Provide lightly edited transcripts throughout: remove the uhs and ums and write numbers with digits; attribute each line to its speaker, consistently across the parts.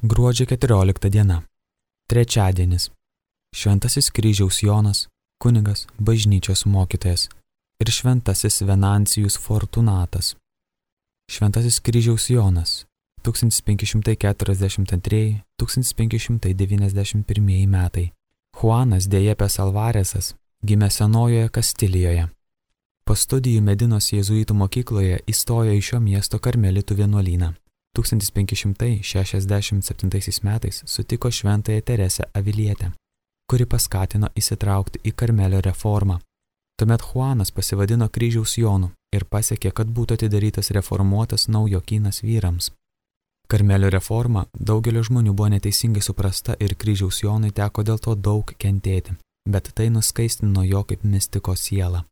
Speaker 1: Gruodžio 14 diena. Trečiadienis. Šventasis kryžiaus Jonas, kunigas, bažnyčios mokytojas ir šventasis Venancijus Fortunatas. Šventasis kryžiaus Jonas 1542–1591 metai. Juanas de Jepes Alvaresas gimė Senojoje Kastilijoje. Po studijų Medinos jėzuitų mokykloje įstojo į šio miesto karmelitų vienuolyną. 1567 metais sutiko šventąją Teresę Avilietę, kuri paskatino įsitraukti į Karmelio reformą. Tuomet Juanas pasivadino kryžiaus Jonu ir pasiekė, kad būtų atidarytas reformuotas naujokynas vyrams. Karmelio reforma daugelio žmonių buvo neteisingai suprasta ir kryžiaus Jonui teko dėl to daug kentėti, bet tai nuskaistino jo kaip mistiko sielą.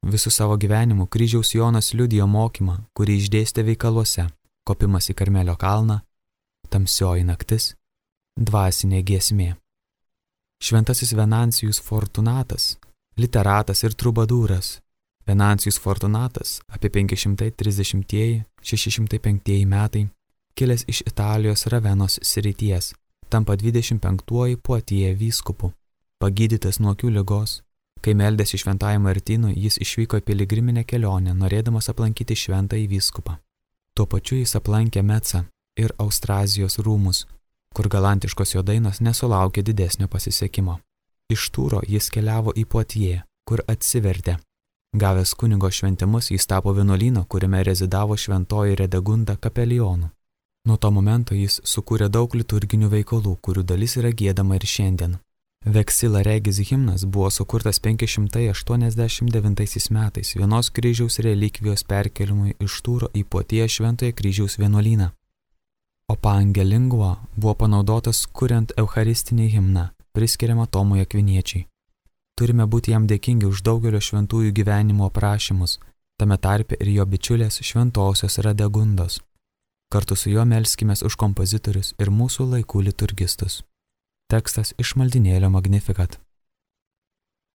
Speaker 1: Visų savo gyvenimu kryžiaus Jonas liudijo mokymą, kurį išdėstė veikaluose: kopimas į Karmelio kalną, tamsioji naktis, dvasinė giesmė. Šventasis Venancijus Fortunatas, literatas ir trubadūras. Venancijus Fortunatas apie 530–605 metai, kilęs iš Italijos Ravenos srities, tampa 25-uoju Poitiers vyskupu. Pagydytas nuo akių ligos, kai meldėsi šventajam Martynui, jis išvyko į piligriminę kelionę, norėdamas aplankyti šventąjį vyskupą. Tuo pačiu jis aplankė Mecą ir Austrazijos rūmus, kur galantiškos jo dainos nesulaukė didesnio pasisekimo. Iš Tūro jis keliavo į Poitiers, kur atsivertė. Gavęs kunigo šventimus, jis tapo vienuolyno, kuriame rezidavo šventoji Redegunda kapelionu. Nuo to momento jis sukūrė daug liturginių veikalų, kurių dalis yra giedama ir šiandien. Vexila Regis himnas buvo sukurtas 589 metais vienos kryžiaus relikvijos perkelimui iš Tūro į Poitiers šventojo kryžiaus vienuolyną. O Pange Lingua buvo panaudotas kuriant eucharistinį himną, priskiriamą Tomui Akviniečiui. Turime būti jam dėkingi už daugelio šventųjų gyvenimo aprašymus, tame tarpe ir jo bičiulės šventosios Radegundos. Kartu su juo melskimės už kompozitorius ir mūsų laikų liturgistus. Tekstas iš maldynėlio Magnificat.